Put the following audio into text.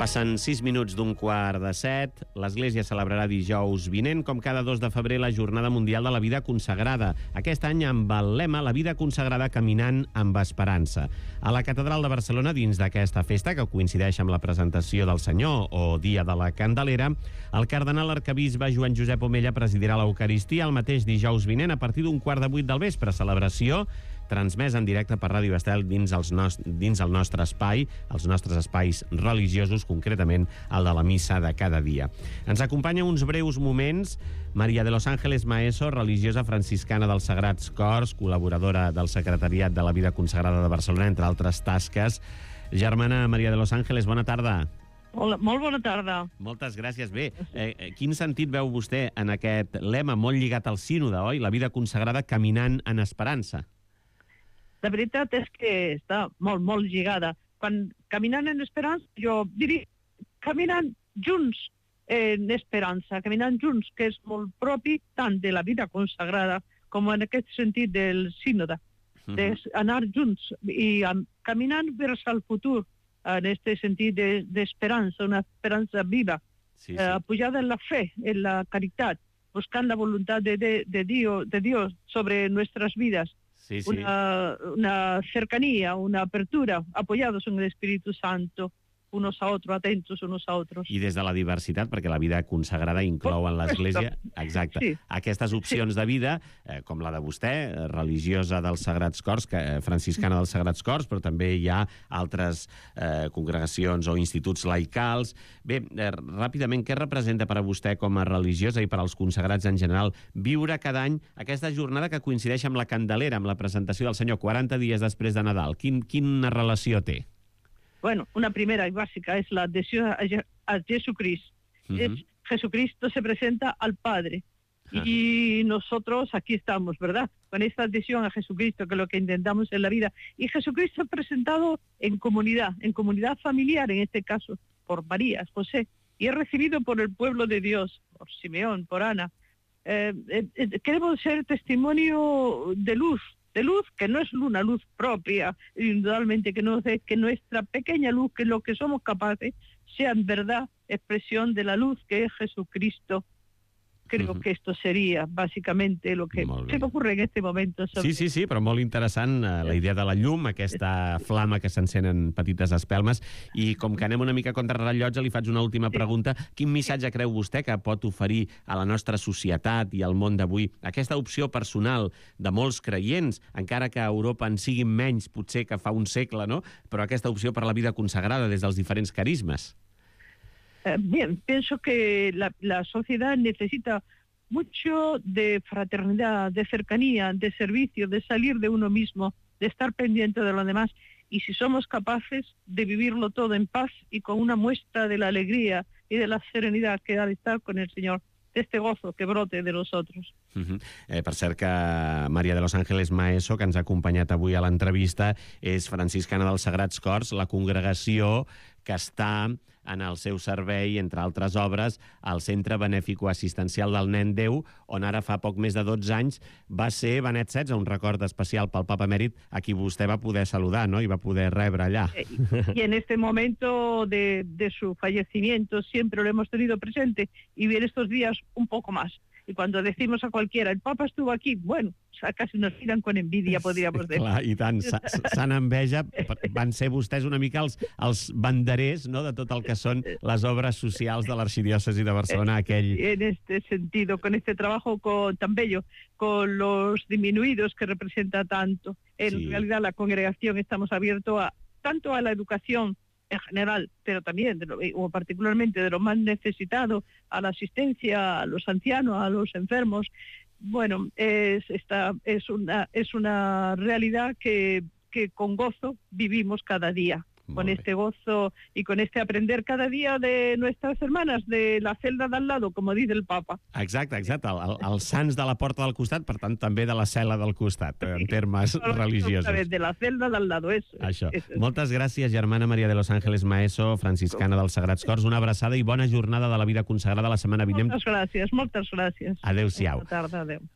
Passen 6 minuts d'un quart de 7. L'Església celebrarà dijous vinent, com cada 2 de febrer, la Jornada Mundial de la Vida Consagrada. Aquest any amb el lema La vida consagrada caminant amb esperança. A la Catedral de Barcelona, dins d'aquesta festa, que coincideix amb la presentació del Senyor o Dia de la Candelera, el cardenal arquebisbe Joan Josep Omella presidirà l'Eucaristia el mateix dijous vinent a partir d'un quart de 8 del vespre. Celebració transmès en directe per Ràdio Estel dins el nostre espai, els nostres espais religiosos, concretament el de la missa de cada dia. Ens acompanya uns breus moments Maria de los Ángeles Maeso, religiosa franciscana dels Sagrats Cors, col·laboradora del Secretariat de la Vida Consagrada de Barcelona, entre altres tasques. Germana Maria de los Ángeles, bona tarda. Hola, molt bona tarda. Moltes gràcies. Bé, quin sentit veu vostè en aquest lema molt lligat al sínode, oi? La vida consagrada caminant en esperança. La veritat és que està molt, molt lligada. Quan caminant en esperança, jo diria caminant junts en esperança, caminant junts, que és molt propi tant de la vida consagrada com en aquest sentit del sínode, d'anar junts i caminant vers el futur, en aquest sentit d'esperança, una esperança viva, apoyada en la fe, en la caritat, buscant la voluntat de Dios sobre nuestras vidas. Sí. Una cercanía, una apertura, apoyados en el Espíritu Santo, unos a otros, atentos unos a otros. I des de la diversitat, perquè la vida consagrada inclou en l'Església aquestes opcions de vida, com la de vostè, religiosa dels Sagrats Cors, franciscana dels Sagrats Cors, però també hi ha altres congregacions o instituts laicals. Bé, ràpidament, què representa per a vostè com a religiosa i per als consagrats en general viure cada any aquesta jornada que coincideix amb la Candelera, amb la presentació del Senyor 40 dies després de Nadal? Quina relació té? Bueno, una primera y básica es la adhesión a Jesucristo. Jesucristo se presenta al Padre y nosotros aquí estamos, ¿verdad? Con esta adhesión a Jesucristo, que es lo que intentamos en la vida. Y Jesucristo presentado en comunidad familiar, en este caso, por María, José, y es recibido por el pueblo de Dios, por Simeón, por Ana. Queremos ser testimonio de luz, que no es una luz propia, indudablemente que no es que nuestra pequeña luz, que lo que somos capaces, sea en verdad expresión de la luz que es Jesucristo. Creo que esto seria, bàsicamente, lo que se m'ocorre en este momento. Sí, però molt interessant la idea de la llum, aquesta flama que s'encén en petites espelmes, i com que anem una mica contra rellotge, li faig una última pregunta. Quin missatge creu vostè que pot oferir a la nostra societat i al món d'avui aquesta opció personal de molts creients, encara que a Europa en siguin menys, potser que fa un segle, no? Però aquesta opció per la vida consagrada des dels diferents carismes? Bien, pienso que la sociedad necesita mucho de fraternidad, de cercanía, de servicio, de salir de uno mismo, de estar pendiente de los demás. Y si somos capaces de vivirlo todo en paz y con una muestra de la alegría y de la serenidad que da de estar con el Señor, de este gozo que brote de nosotros. Per cert que Maria de los Ángeles Maeso, que ens ha acompanyat avui a l'entrevista, és franciscana dels Sagrats Cors, la congregació que està en el seu servei, entre altres obres, al Centre Benèfico Assistencial del Nen Déu, on ara fa poc més de 12 anys va ser Benet XVI, un record especial pel Papa Emèrit, a qui vostè va poder saludar, no?, i va poder rebre allà. Y en este momento de su fallecimiento siempre lo hemos tenido presente, y en estos días un poco más. Y cuando decimos a cualquiera, el Papa estuvo aquí, bueno, casi nos miran con envidia, podríamos decir. Clar, i tant, s'han enveja. Van ser vostès una mica els banderers, no?, de tot el que són les obres socials de l'arxidiòcesi de Barcelona. En este sentido, con este trabajo tan bello, con los disminuidos que representa tanto. En realidad la congregación estamos abiertos tanto a la educación en general, pero también, o particularmente de los más necesitados, a la asistencia a los ancianos, a los enfermos. Bueno, es una realidad que con gozo vivimos cada día. Con este gozo y con este aprender cada día de nuestras hermanas de la celda del lado, como dice el Papa. Exacte. Els sants de la porta del costat, per tant, també de la cel·la del costat, en termes religiosos. De la celda del lado, eso. Això. Moltes gràcies, germana Maria de los Ángeles Maeso, franciscana dels Sagrats Cors. Una abraçada i bona jornada de la vida consagrada la setmana vinent. Moltes gràcies. Adéu-siau. Bona tarda, adéu.